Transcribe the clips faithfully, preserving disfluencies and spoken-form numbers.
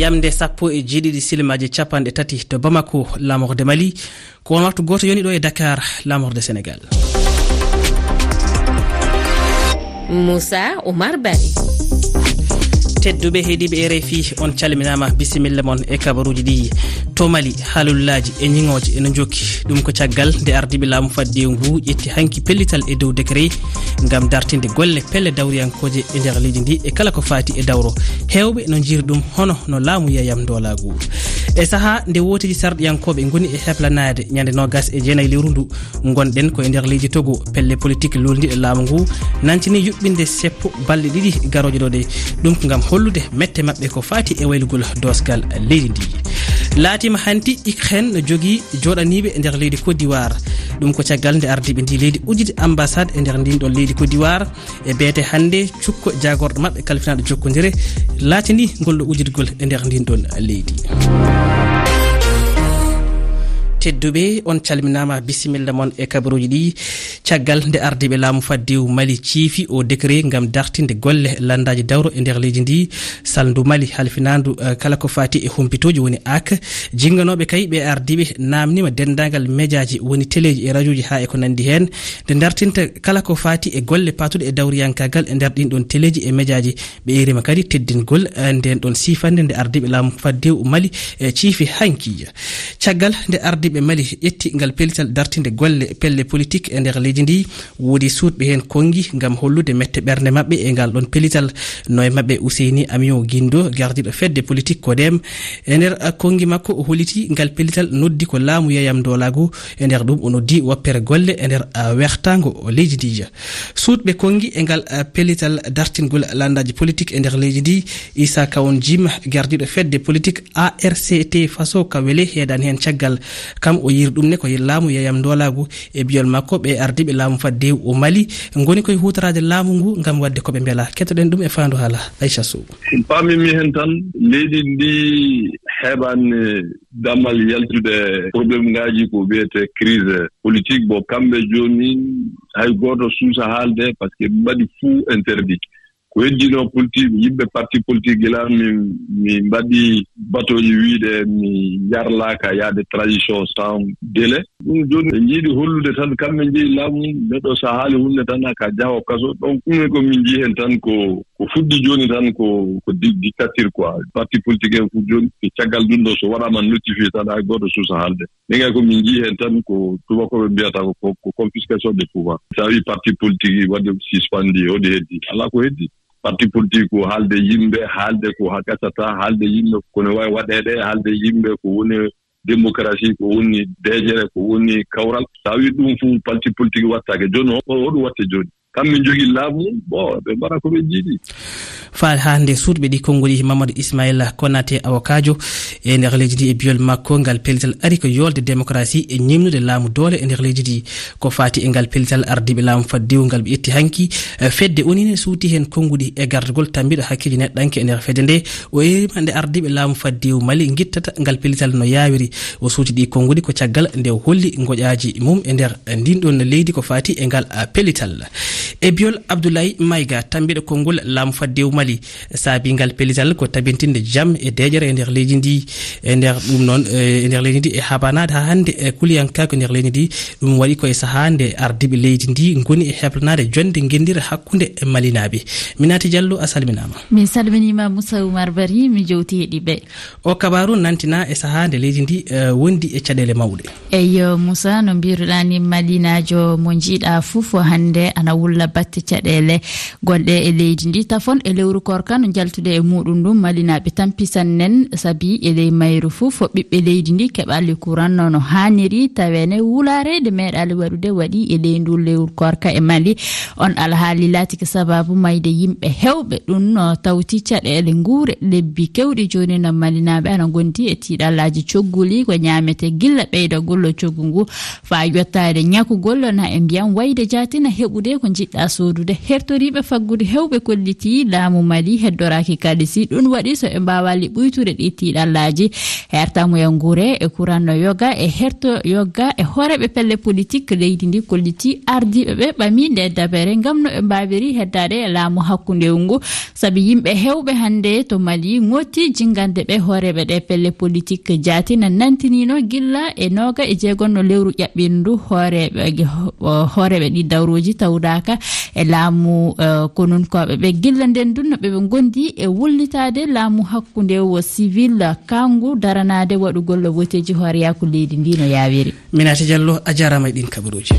Yamde sappo e jeeɗiɗi silimaaji capanɗe tati to Bamako, laamorde Mali. Ko on waktu gooto yoni ɗo e Dakar, laamorde Senegal. Moussa Oumar Barry. Tedduɓe heediiɓe R F I, on calminaama, bisimilla mon e kabaruuji ɗi. To Mali, haalullaaji e ñiŋooji ene njokki. Ɗum ko caggal nde ardiiɓe laamu faddewu ngu ƴetti hanki pellital e dow décret ngam dartinde golle pelle dawriyankooje e nder leydi ndi e kala ko faati e dawro. Heewɓe no njiyri ɗum hono no laamu yeyam ndoolaagu. E sahaa nde wooteeji sarɗiyankooɓe ngoni e heblanaade ñande noogas e jeenayi lewru ndu ngonɗen ko e nder leydi Togo, pelle politik luulndiiɗe laamu ngu nantini yuɓɓinde seppo balɗe ɗiɗi garooje ɗo ɗe. Ɗum ko ngam hollude mette maɓɓe ko faati e waylugol doosgal leydi ndi. Laatiima hanti Ukraine no jogii jooɗaniiɓe e nder leydi Côte d'Ivoire. Ɗum ko caggal nde ardiiɓe ndi leydi udditi ambassade e nder ndin ɗon leydi Côte d'Ivoire. E beete hannde, cukko jaagorɗo maɓɓe kalfinaaɗo jokkondire laatini ngol ɗo uddirgol e nder ndin ɗon leydi. Tedduɓe, on calminaama, bisimilla mon e kabaruuji ɗi. Caggal nde ardiiɓe laamu faddewu Mali ciifi o décret ngam dartinde golle lanndaaji dawro e nder leydi ndi, salndu Mali halfinaandu, eh, kala ko faati e humpitooji woni ak. Jinnganooɓe kay ɓe ardiiɓe naamniima denndaangal mejaaji woni teleeji e rajooji haa e ko nanndi heen, nde dartinta kala ko faati e golle paatuɗe e dawriyankaagal e nder ɗin ɗon teleeji e mejaaji. Ɓe eeriima kadi teddingol, eh, nden ɗon siifannde nde ardiiɓe laamu faddewu Mali, eh, ciifi hanki. Caggal nde ardiiɓe Mali ƴetti ngal pellital dartinde golle pelle politik e nder leydi ndi, woodi suuɗɓe heen konngi ngam hollude mette ɓernde maɓɓe e ngal ɗon pellital. No e maɓɓe Ousseini Amion Guindo, gardiiɗo fedde politik Codem. E nder, eh, konngi makko, o holliti ngal pellital noddi ko laamu yeyam ndoolaagu e nder ɗum o noddi woppere golle e nder, eh, wertaango leydi ndi. Suuɗɓe konngi e ngal, eh, pellital dartingol lanndaaji politik e nder leydi ndi, Issa Kawon Jim, gardiiɗo fedde politik A R C T Faso ka wele heedani heen caggal. Kam o yiiri ɗum ne ko laamu yeyam ndoolaagu. E biyol makko, ɓe ardiiɓe laamu faddewu o Mali ngoni koye huutoraade laamu ngu ngam waɗde ko ɓe mbela. Kettoɗen ɗum e faandu haala Aisha Sow. Paamimi heen tan, leydi ndi heɓaani damal yaltude problème ngaaji ko wiyetee crise politique. Bon, kamɓe jooni hay gooto suusa haalde, parce que ɓe mbaɗi fuu interdit. Ko heddino politique, yimɓe parti politique, gila min, min mbaɗi batooji wiyde mi yarlaaka yaade transition sans délai. Ɗum jooni ɓe njiɗi hollude tan kamɓe njeyi laamu, neɗɗo so a haali huunde tan a ka jaho kaso. Donc ɗum ko min njii heen tan ko, ko fuɗɗi jooni tan ko, ko di-, dictature quoi. Parti politique en fof jooni ko caggal ɗum ɗo so waɗaama notifié tan hay gooto suusa haalde. Min kay ko min njii heen tan ko tubakooɓe mbiyata ko, ko, ko confiscation de pouvoir. So a wii parti politique waɗi suspendu, hoɗi heddi? Alaa ko heddi. Parti politique ko haalde yimɓe, haalde ko haa gasata, haalde yimɓe ko ne waawi waɗeede, haalde yimɓe ko woni démocratie, ko woni deeƴere, ko woni kawral. So a wii ɗum fof parti politique wattaake. Jooni o, o ɗum watte jooni. Kamɓe njogii laamu, bon, ɓe mbaɗa ko ɓe njiɗi. Faade haa nde suuɗɓe ɗi konngol, Mamadou Ismaïla Konaté, awokaajo e nder leydi ndi, e biyol makko, ngal pellital ari ko yoolde démocratie e ñimnude laamu doole e nder leydi ndi. Ko faati e ngal pellital ardiiɓe laamu faddewu ngal ɓe ƴetti hanki, eh, fedde O N U ne suuti heen konnguɗi e gardagol tambiiɗo hakkeeji neɗɗanke e nder fedde nde. O eeriima nde ardiiɓe laamu faddewu Mali ngittata ngal pellital no yaawiri. O suuti ɗi konnguɗi ko caggal nde o holli ngoƴaaji mum e nder ndin ɗon leydi ko faati e ngal, ah, pellital. E biyol Abdoulaye Maïga, tambiiɗo konngol laamu faddewu Mali, saabi ngal pellital ko tabintinde jam e deeƴere e nder leydi ndi. E nder ɗum noon, eh, e nder leydi ndi e habanaade haa hannde e kuliyankaaku e nder leydi ndi. Ɗum waɗi ko e sahaa nde ardiiɓe leydi ndi ngoni e heblanaade jonnde ngenndire hakkunde e Malinaaɓe. Minati Diallo, a salminaama. Min salminiima Moussa Oumar Barry, mi jowti heɗiiɓe. O kabaaru nantina e sahaa nde leydi ndi, eh, wondi e caɗeele mawɗe. Eyo, Moussa, no mbiruɗaa ni, Malinaajo mo njiiɗaa fof hannde ana wulla batte caɗeele gonɗe e leydi ndi. Tafon e lewru koorka no njaltude e muɗum ndun, Malinaaɓe tampisan nen, sabi e ley mayru fof ɓiɓɓe leydi ndi keɓali kuran no, no haaniri, taweene wulaare nde meeɗaali waɗude waɗi e ley ndun lewru koorka e Mali. On alhaali laatike sababu mayde yimɓe heewɓe. Ɗum no tawti caɗeele nguure lebbi keewɗi jooni no Malinaaɓe ana ngondi e tiiɗallaaji cogguli ko ñaametee gilla ɓeydagol coggu ngu faa yottaade ñakugol na e ndiyam wayde jaati na heɓude ko Yiɗɗa soodude hertoriiɓe faggudu heewɓe kollitii laamu Mali heddoraaki kaalisi. Ɗum waɗi so ɓe mbaawaali ɓuytude ɗi tiiɗallaaji. Hertamuya nguure e kuran no yoga e herto yoga e hooreeɓe pelle politik leydi ndi kollitii ardiiɓe ɓe ɓami nde dabere ngam no ɓe mbaawiri heddaade e laamu hakkunde ngu. Sabi yimɓe heewɓe hannde to Mali ŋotti jingande ɓe hooreeɓe ɗe pelle politik jaati na nantiniino gilla e nooga e jeegonno lewru ƴaɓɓiindu hooreeɓe, hooreeɓe ɗi dawrooji tawdaaka e laamu, eh, konunkooɓe ɓe gilla nden dunno ɓe ɓe ngondi e wullitaade laamu hakkunde wo civil kangu daranaade waɗugol woteeji hooreyaaku leydi ndi no yaawiri. Minata Diallo, a jarama e ɗin kabaruuji.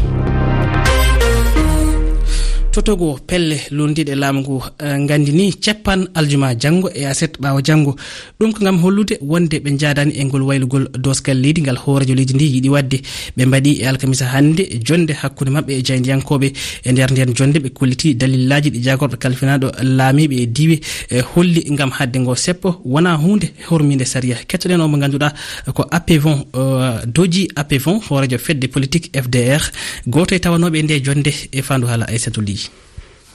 To Togo, pelle lunndiiɗe laamu ngu, eh, nganndini ceppan aljuma janngo e aset ɓaawo janngo. Ɗum ko ngam hollude wonde ɓe njaadaani e ngol waylugol doosgal leydi ngal hooreejo leydi ndi yiɗi waɗde. Ɓe mbaɗi e alkamisa hannde jonnde hakkunde maɓɓe e jaayndiyankooɓe. E nder nden jonnde ɓe kolliti dalillaaji ɗi jaagorɗo kalfinaaɗo laamiiɓe e diiwe, eh, holli ngam haɗde ngo seppo wonaa huunde hormiinde sariya. Kettoɗen o mo ngannduɗaa ko Apevon, eh, Doji Apevon, hooreejo fedde politik F D R, gooto e tawanooɓe e nde jonnde e faandu haala Aysatu Ly.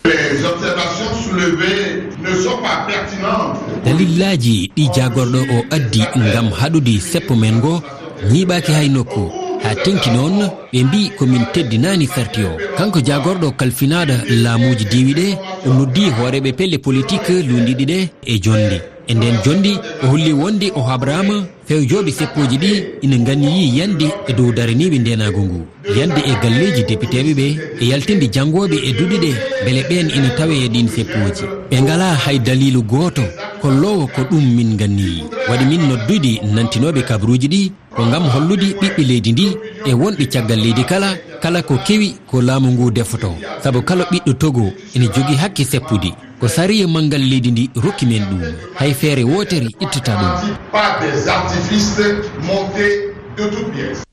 Les observations soulevées ne sont pas pertinentes. Dalillaaji ɗi jaagorɗo o addi ngam haɗude seppo men ngo ñiiɓaaki hay nokku. Haa teŋti noon, ɓe mbii ko min teddinaani sarti o. Kanko jaagorɗo kalfinaaɗo laamuuji diiwi ɗe, o noddi hooreeɓe pelle politik lunndiiɗi ɗe e jonde. E ndeen jonde, o holli wonde o habraama fewjooɓe seppooji ɗi ina nganniyii yande e dow daraniiɓe ndeenaagu ngu, yande e galleeji depiteeɓe ɓe e yaltinde janngooɓe e duɗe ɗe, mbele ɓeen ina tawee e ɗiin seppooji. Ɓe ngalaa hay daliilu gooto kolloowo ko ɗum min nganniyii. Waɗi min noddude nantinooɓe kabaruuji ɗi ko ngam hollude ɓiɓɓe leydi ndi e wonɓe caggal leydi kala, kala ko kewi ko laamu ngu defotoo. Sabu kala ɓiɗɗo Togo ina jogii hakke seppude. Ko sariya manngal leydi ndi rokki men ɗum. Hay feere wootere ittata ɗum. Pas des artifices montés de toutes pièces.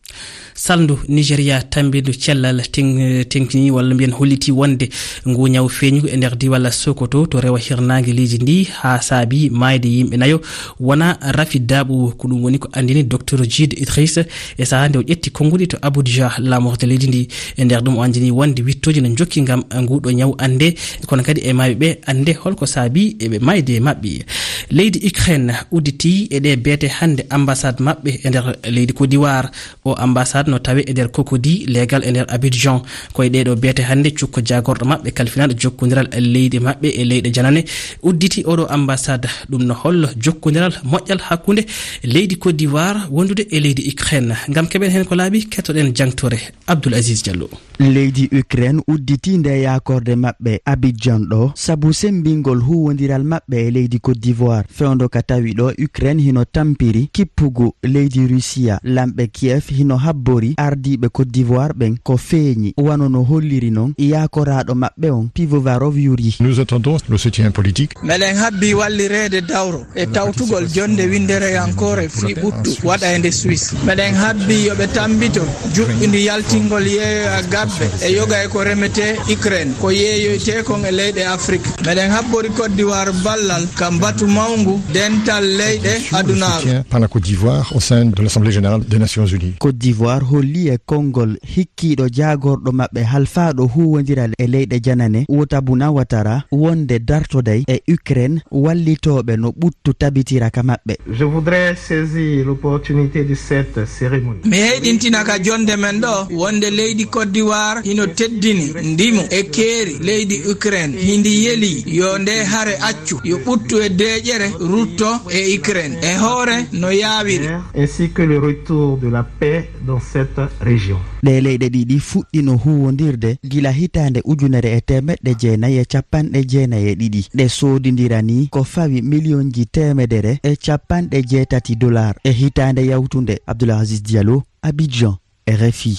Salndu Nigeria tammbindu cellal ten-, teŋtini walla mbiyen holliti wonde ngu ñaw feeñi e nder diiwal Sokoto to rewo hirnaange leydi ndi haa saabi maayde yimɓe nayo wona rafi daaɓu. Ko ɗum woni ko anndini Docteur Jide Idriss e sahaa nde o ƴetti konnguɗi to Abuja, laamorde leydi ndi. E nder ɗum o anndini wonde wittooji no njokki ngam nguɗo ñaw annde, kono kadi e maayɓe ɓe annde holko saabi e ɓe maayde maɓɓe. Leydi Ukraine udditi e ɗe beete hannde ambassade maɓɓe e nder leydi Côte d'Ivoire. O ambassade no tawe e nder Cocody, leegal e nder Abidjan. Ko e ɗeɗo beete hannde cukko jaagorɗo maɓɓe kalfinaaɗo jokkondiral leydi maɓɓe e leyɗe janane udditi oɗo ambassade. Ɗum no hollo jokkondiral moƴƴal hakkunde leydi Côte d'Ivoire wondude e leydi Ukraine. Ngam keɓen heen ko laaɓi, kettoɗen jangtore Abdoul Aziz Diallo. Leydi Ukraine udditi nde yaakorde maɓɓe Abidjan ɗo sabu sembingol huwondiral maɓɓe e leydi Côte d'Ivoire. Fewndo ka tawi ɗo Ukraine hino tampiri kippugu leydi Rusiya. Lamɓe Kiev hino habbori ardiiɓe Côte d'Ivoire ɓen ko feeñi, wano no holliri non yaakoraaɗo maɓɓe on, Pivovarov Yuri. Nous attendons le soutien politique. Meɗen habbi wallireede dawro e tawtugol jonde winndereyankoore fii ɓuttu waɗa e nde Suisse. Meɗen habbi yo ɓe tammbito juɓɓindi yaltingol yeeyoya gabbe e yoga e ko remetee Ukraine, ko yeeyoytee kon e leyɗe Afrik. Meɗen habbori Côte d'Ivoire ballal ka mbatu mawngu dental leyɗe adunaaru. Soutien par la Côte d'Ivoire au sein de l'Assemblée générale des Nations Unies. Côte d'Ivoire holli e konngol hikkiiɗo jaagorɗo maɓɓe halfaaɗo huuwondiral e leyɗe janane, Wothabuna Ouattara, wonde dartoday e Ukraine wallitooɓe no ɓuttu tabitira ka maɓɓe. Je voudrais saisir l'opportunité de cette cérémonie. Mi heyɗintina ka jonde men ɗo wonde leydi Côte d'Ivoire hino teddini ndimu e keeri leydi Ukraine, hindi yeli yo nde hare accu, yo ɓuttu e deeƴere rutto e Ukraine e hoore no yaawiri. Ainsi que le retour de la paix dans cette région. Ɗee leyɗe ɗiɗi fuɗɗino huuwondirde gila hitaande ujunere e teemeɗɗe jeenayi e capanɗe jeenayi e ɗiɗi. Ɗe soodindira nii ko fawi miliyonji teemedere e capanɗe jeetati dollar e hitaande yawtunde. Abdoul Aziz Diallo, Abidjan, R F I.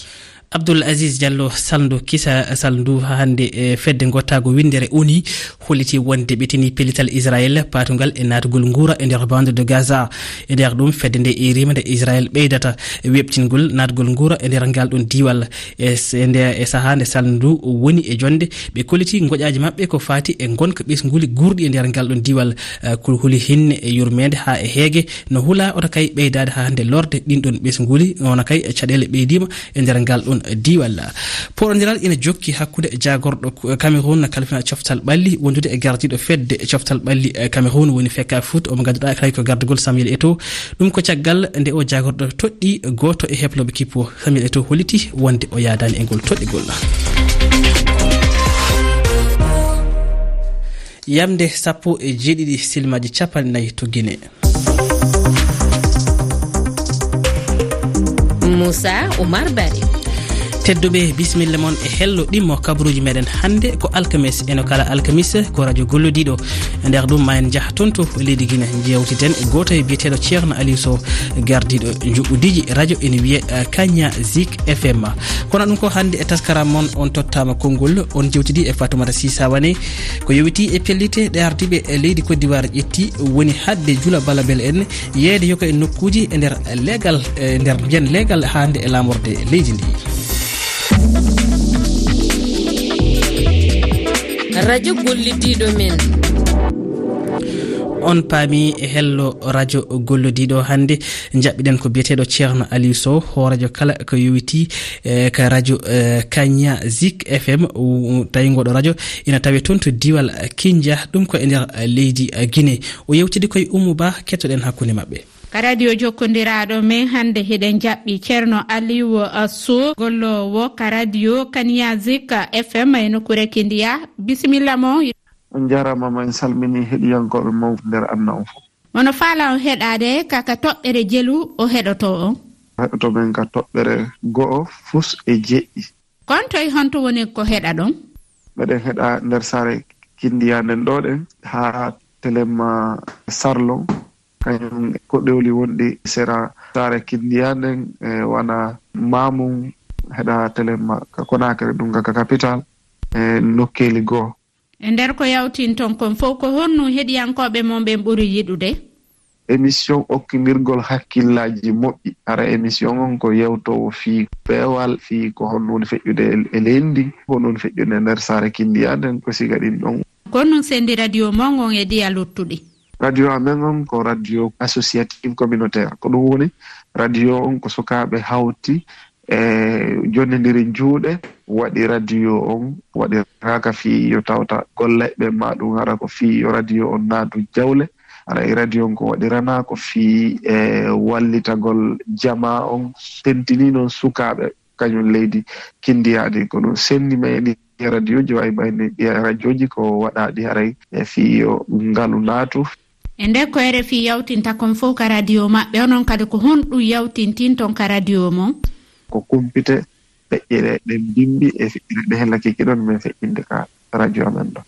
Abdoul Aziz Diallo, salndu kisa, salndu haa hannde, e fedde ngottaago winndere O N U holliti wonde ɓe tini pellital Israel paatungal e naatugol nguura e nder bande de Gaza. E nder ɗum, fedde nde eeriima nde Israel ɓeydata weɓtingol naatgol nguura e nder ngal ɗon diiwal. E s-, e nde, e sahaa nde salndu woni e jonde, ɓe kolliti ngoƴaaji maɓɓe ko faati e ngonka ɓesnguuli guurɗi e nder ngal ɗon diiwal. Eh, ko holi hinne e yurmeende haa e heege no hula oto kay ɓeydaade haa hannde lorde ɗin ɗon ɓesnguuli, wona kay caɗeele ɓeydiima e nder ngal ɗon Diwal. Poɗondiral ina jokki hakkunde jaagorɗo Cameroun kalfina coftal ɓalli wondude e gardiiɗo fedde coftal ɓalli Cameroun woni Feka Foot, omo ngannduɗaa kadi ko gardugol Samuel Eto'o. Ɗum ko caggal nde o jaagorɗo toɗɗi gooto e heblooɓe kippo. Samuel Eto'o holliti wonde o yaadaani e ngol toɗɗigol. Yamde sappo e jeeɗiɗi silmaaji capanɗe nayi to Guinée. Moussa Oumar Barry. Tedduɓe, bisimilla mon e hello ɗimmo kabaruuji meɗen hannde ko alkames. Eno kala alkamis ko radio gollodiiɗo. E nder ɗum ma en njah toon to leydi Guinée, njewtiden e gooto e biyeteeɗo Ceerno Aliou Sow, gardiiɗo njuɓɓudiiji radio ene wiyee, eh, Kanya Zik F M. Kono ɗum ko hannde e taskaram mon on tottaama konngol, on jewtidi e Fatoumata Sy Sawane. Ko yowiti e pellite ɗe ardiiɓe e leydi Côte d'Ivoire ƴetti woni haɗde Jula Balabel en yeeyde yoko e nokkuuji e nder leegal, e nder nden leegal hannde e laamorde leydi ndi. Radio gollodiiɗo men. On paami e hello radio gollodiiɗo hannde. Njaɓɓiɗen ko biyeteeɗo Ceerno Aliou Sow, hooreejo kala ko yowiti, eh, ka radio, eh, Kanya Zik F M, u-, tawi ngoɗo radio ina tawe toon to diwal Kindia, ɗum ko e nder, eh, leydi, eh, Guinée. O yewtidi koye Oumou Ba, kettoɗen hakkunde maɓɓe. Ka radio jokkondiraaɗo men hannde, hiɗen jaɓɓi Ceerno Aliou, eh, Sow, golloowo ka radio Kanya Zik F M e nokkuure Kindia. Bisimilla mo. On njaaraama, ma en salmini heɗiyankooɓe mawɓe nder aduna on fof. Mono faala on heɗaade ka, ka toɓɓere jelu o heɗoto on? Heɗoto men ka toɓɓere go'o fus e jeɗɗi. Kon toy honto woni ko heɗa ɗon? Meɗen heɗa nder saare Kindiya nden ɗo ɗen haa Telemma Sarlon. Kañum ko ɗewli wonɗi sera saare Kindiya nden, e wana Mamum, heɗa Telemma ka Konakri, ɗum ka, ka capital, e nokkeeli goo. E nder ko yawtinton kon fow, ko honno heɗiyankooɓe mon ɓen ɓuri yiɗude? Émission okkindirgol hakkillaaji moƴƴi. Hara émission on ko yewtoowo fii peewal, fii ko honno woni feƴƴude e, e leydi, ko honno woni feƴƴude e nder saare Kindiya nden, ko siga ɗin ɗon. Ko honno sendi radio mon on e ɗiya luttuɗi? Radio amen on ko radio associative communautaire. Ko ɗum woni radio on ko sukaaɓe hawti e jonnindiri juuɗe, waɗi radio on, waɗiraaka fii yo tawta golle ɓe, ma ɗum hara ko fii yo radio on naatu jawle. Hara e radio on ko waɗiranaa ko fii e wallitagol jamaa on, tentini noon sukaaɓe kañum leydi Kindiya ɗi. Ko ɗum senndi men e ɗi radioji, wayi mayni ɗi radioji ko waɗaaɗi haray e fii yo ngalu naatu. E nder ko R F I yawtinta kon fow ka radio maɓɓe, onon kadi ko honɗum yawtintinton ka radio mon? Ko kumpite feƴƴere ɗen bimbi e feƴƴere ɗe hella kiki ɗon men feƴƴinde ka radio amen ɗo.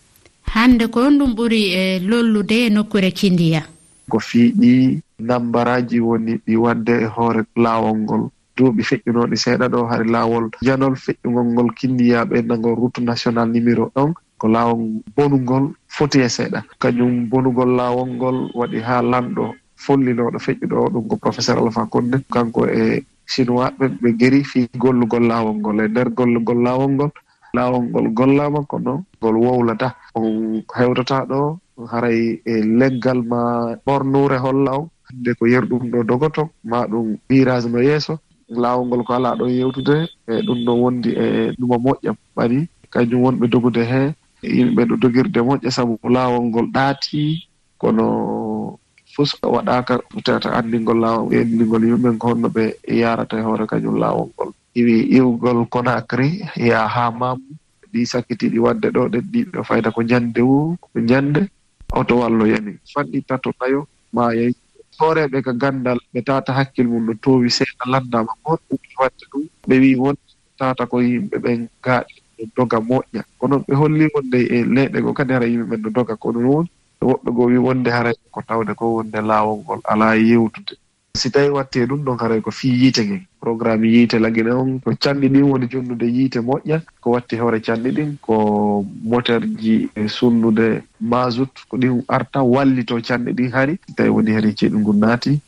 Hannde ko honɗum ɓuri, e, lollude e nokkuure Kindiya? Ko fii ɗi nambaraaji woni ɗi waɗde e hoore laawol ngol. Duuɓi feƴƴunooɗi seeɗa ɗo, hari laawol janol feƴƴungol ngol Kindiya ɓeydagol route nationale numéro un, ko laawol bonungol foti e seeɗa. Kañum bonugol laawol ngol waɗi haa lanɗo follinooɗo feƴƴuɗo o, ɗum ko professeur Alpha Condé, kanko e Chinois ɓe, ɓe geri fii gollugol laawol ngol. E nder gollugol laawol ngol, laawol ngol gollaama, kono ngol wowlataa. On hewtataa ɗo, haray e leggal ma ɓornuure holla on. Hannde ko yeru ɗum ɗo dogoto, ma ɗum virage no yeeso. Laawol ngol ko alaa ɗon yewtude, e ɗum ɗo wondi e ɗuma moƴƴa ɓari. Kañum wonɓe dogude he, yimɓe ɗo dogirde moƴƴa, sabu laawol ngol ɗaati, kono fus waɗaaka, tawata anndingol laawol, anndingol yimɓe ɓen ko honno ɓe yaarata e hoore kañum laawol ngol. Iwi iwgol Conakry, yaa haa Mamou, ɗi sakkitiiɗi waɗde ɗo ɗen, ɗiɗo fayda ko ñande woo, ko ñande, oto wallo yani. Fanɗi tato nayo, maayay. Hooreeɓe ka ganndal, ɓe tawata hakkil mum no toowi seeɗa, lanndaama ko honɗum waɗi waɗde ɗum. Ɓe wi'i won tawata ko yimɓe ɓen gaaɗi no doga moƴƴa. Kono ɓe holli wonde e leyɗe goo kadi hara yimɓe ɓen no doga, kono noon woɓɓe goo wi'i wonde haray ko tawde ko wonde laawol ngol alaa yewtude. Si tawii waɗtii ɗum ɗon, haray ko fii yiite ngen. Programme yiite Lagine on, ko canɗi ɗin woni jonnude yiite moƴƴa, ko watti hoore canɗi ɗin, ko moteurji e sunnude mazout, ko ɗin arta wallitoo canɗi ɗin hari. Si tawii woni hari ceeɗu ngun naati,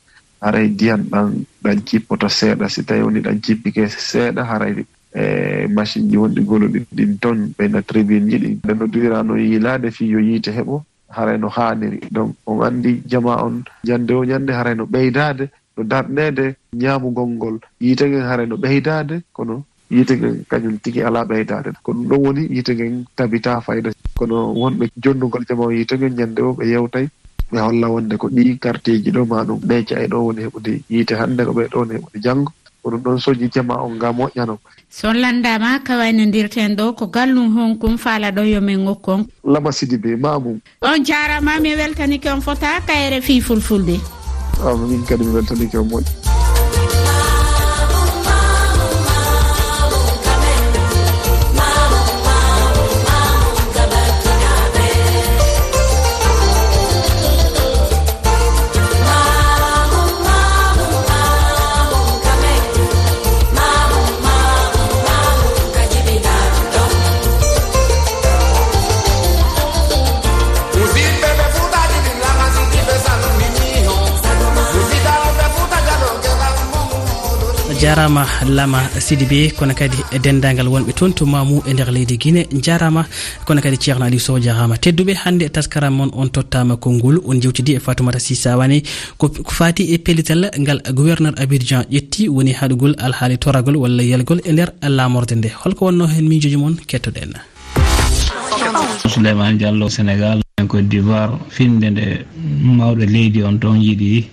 haray ndiyan ɗan, ɗan jippoto seeɗa. Si tawii woni ɗan jippike seeɗa, haray, e, machine ji wonɗi goloɗi ɗin ton, ɓeyna tribune ji ɗin. Ɓe no duwirano yiilaade fii yo yiite heɓo, haray no haaniri. Donc, on anndi jamaa on, ñande o ñande haray no ɓeydaade, no darneede ñaamugol ngol. Yiite ngen haray no ɓeydaade, kono yiite ngen kañum tigi alaa ɓeydaade. Ko ɗum ɗon woni yiite ngen tabitaa fayda. Kono wonɓe jonnugol jama o yiite ngen ñannde o ɓe yewtay, ɓe holla wonde ko ɗii karteeji ɗo maa ɗum ɗee ca'e ɗo woni heɓude yiite hannde, ko ɓe ɗo woni heɓude janngo. Ko ɗum ɗon soñi jama on ngam moƴƴano. So lanndaama, ka waynondirten ɗo ko gallum honkum faalaɗo yo men okku on? Lama Sidibé, Maamum. On jaaraama, mi weltanike on fota ka R F I Fulfulde. Ah, min kadi mi weltanike on moƴƴi. Jaaraama Lama Sidibé, kono kadi e denndaangal wonɓe toon to Mamu e nder leydi Gine, njaaraama, kono kadi Ceerno Aliou Sow, jaaraama. Tedduɓe, hannde taskaram mon on tottaama konngol, on njewtidi e Fatoumata Sy Sawane, ko ko faati e pellital ngal gouverneur Abidjan ƴetti, woni haɗugol alhaali toragol walla yelgol e nder laamorde nde. Holko wonnoo heen miijooji mon? Kettoɗen. Souleymane Diallo, Sénégal, en Côte d'Ivoire, finnde nde mawɗo leydi on toon yiɗi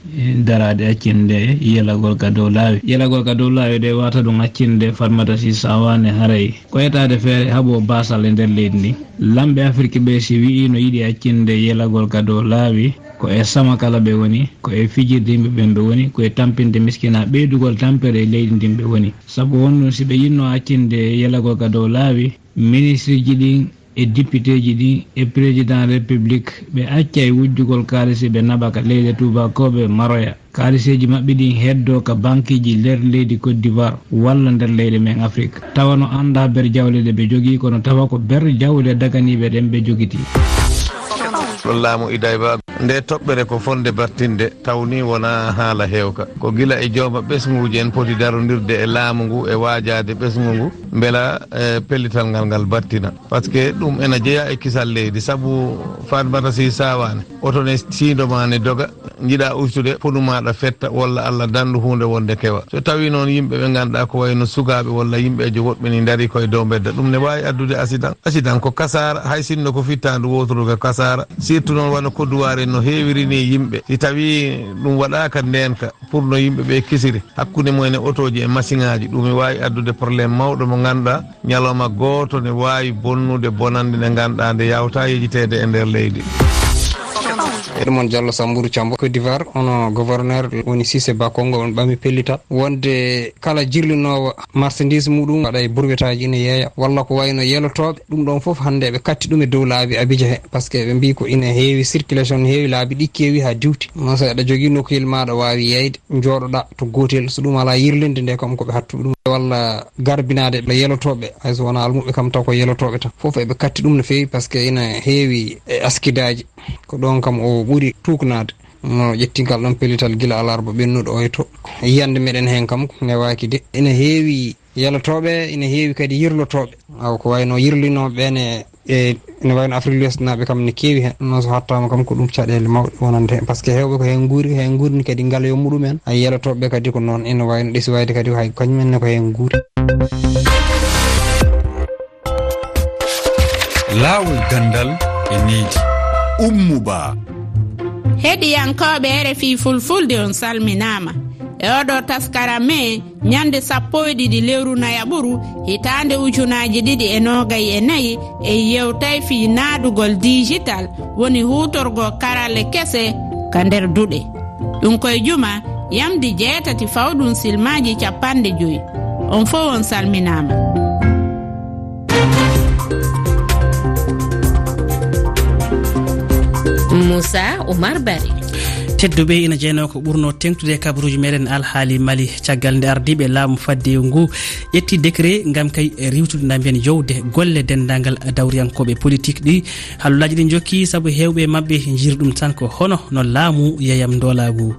daraade accinde yelagol ka dow laawi. Yelagol ka dow laawi de wata ɗum accinde Fatmata Sy Sawane haray ko etaade feere haɓo baasal e nder leydi ndi. Lamɓe Afirki ɓe si wi'i no yiɗi accinde yelagol ka dow laawi, ko e sama kala ɓe woni, ko e fijirde yimɓe ɓen ɓe woni, ko e tampinde miskina, ɓeydugol tampere e leydi ndin ɓe woni. Sabu on ɗum si ɓe yinno accinde yelagol ka dow laawi, ministriji ɗin e dipiteeji ɗin e président république ɓe accay wujjugol kaalisi ɓe naɓa ka leyɗe tuubakooɓe maroya. Kaaliseeji maɓɓe ɗin heddoo ka bankiiji nder leydi Côte d'Ivoire walla nder leyɗe men Afrik. Tawa no anndaa ber jawle ɗe ɓe jogii, kono tawa ko ber jawle daganiiɓe ɗen ɓe jogitii. Laamu Idayba. Nde toɓɓere ko fonde battinde, tawni wona haala heewka. Ko gila e jooma ɓesnguuji en poti darondirde e laamu ngu e waajaade ɓesngu ngu, mbela, eh, pellital ngal ngal battina. Parce que ɗum ena jeyaa e kisal leydi, sabu Fatmata Sy Sawane, oto ne siindo ma ne doga, njiɗa ustude, ponu maaɗa fetta, walla Allah danndu huunde wonde kewa. So tawi noon yimɓe ɓe ngannduɗaa ko wayno sukaaɓe walla yimɓeejo woɗɓe ni ndarii koye dow mbedda, ɗum ne waawi addude accident. Accident ko kasaara, hay sinno ko fittaandu wooturu ko kasaara. Surtout noon wano Kodduwaare no heewiri ni yimɓe. Si tawi ɗum waɗaaka ndeenka, pour no yimɓe ɓe kisiri, hakkunde mumen e otooji e masiŋaaji, ɗum ne waawi addude problème mawɗo mo ngannduɗaa, ñalawma gooto ne waawi bonnude bonannde nde ngannduɗaa nde yawta yejiteede e nder leydi. Edmond Diallo, Samburu Cambo, Côte d'Ivoire, ono gouverneur woni Cissé Bakongo, on ɓami pellital wonde kala jirlinoowo marchandise muɗum waɗa e burwetaaji ina yeeya, walla ko wayno yelotooɓe, ɗum ɗon fof hannde ɓe katti ɗum e dow laabi Abidjan he, parce que ɓe mbii ko ina heewi circulation, heewi laabi ɗi keewi haa diwti. Noon so aɗa jogii nokkuyel ma aɗa waawi yeeyde, njooɗoɗaa to gootel, so ɗum alaa yirlinde nde kam ko ɓe hattuɓe ɗum, walla garbinaade ɓe yelotooɓe, hay so wonaa almuɓɓe kam taw ko yelotooɓe tan. Fof eɓe katti ɗum no feewi, parce que ina heewi e askidaaji. Ko ɗoon kam o ɓuri tuuknaade. No ƴetti ngal ɗoon pellital gila alarba ɓennuɗo oy to. Yiyannde meɗen heen kam newaaki de. Ina heewi yelotooɓe, ina heewi kadi yirlotooɓe. Awa ko wayno yirlinooɓe ɓeen e, e ina wayno Afrique l'Ouest naaɓe kam ne keewi heen. Noon so hattaama kam ko ɗum caɗeele mawɗe wonande heen. Parce que heewɓe ko heen nguuri, heen nguurni kadi ngaloyo muɗum en. Hay yelotooɓe kadi ko noon ina wayno ɗesi wayde kadi ko hay kañum en ne ko heen nguuri. Laawol ganndal e needi. Ummu Ba. Heɗiyankooɓe R F I Fulfulde, on salminaama. E oɗo taskara me, ñande sappo e ɗiɗi lewru nayaɓuru, hitaande ujunaaji ɗiɗi e noogay e nayi, e yewtay fii naadugol dijital, woni huutorgo karalle kese ka nder duɗe. Ɗum koye juma, yamdi jeetati fawɗum silmaaji capanɗe joyi. On fof on salminaama. Moussa Oumar Barry. Tedduɓe, ina jeyanoo ko ɓurnoo teeŋtude e kabaruuji meɗen alhaali Mali. Caggal nde ardiiɓe laamu faddewu ngu ƴetti décret ngam kay riiwtude, na mbiyen jowde golle denndaangal dawriyankooɓe politik ɗi, hallolaaji ɗi njokki sabu heewɓe maɓɓe njiri ɗum tan ko hono no laamu yeyam ndoolaagu.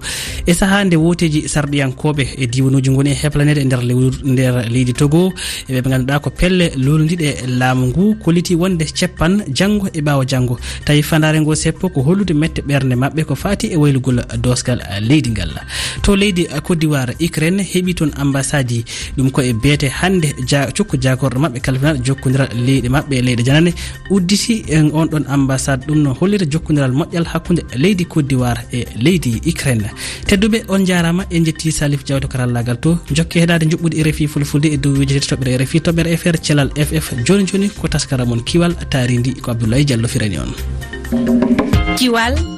E sahaa nde wooteeji sarɗiyankooɓe e diiwanuuji ngoni e heplaneede e nder lewru, nder leydi Togo, e ɓe ngannduɗaa ko pelle luulndiiɗe laamu ngu, kolliti wonde ceppan janngo e ɓaawo janngo. Tawi fandaare ngo seppo ko hollude mette ɓernde maɓɓe ko faati e waylugol doosgal leydi ngal. To leydi Côte d'Ivoire, Ukraine heɓi toon ambassade, ɗum ko e beete hannde ja-, cukko jaagorɗo maɓɓe kalfinal jokkondiral leyɗe maɓɓe e leyɗe janane udditi en on ɗon ambassade. Ɗum no hollira jokkondiral moƴƴal hakkunde leydi Côte d'Ivoire e leydi Ukraine. Tedduɓe, on njaaraama, en njetti Salif Diaw to karallaagal to. Jokke heɗaade njuɓɓudi R F I Fulfulde e dow wiijo tati toɓɓere R F I, toɓɓere F R, Celal F F. Jooni jooni ko taskara mon Kiwal, taarindi ko Abdoulaye Diallo firani on. Kiwal.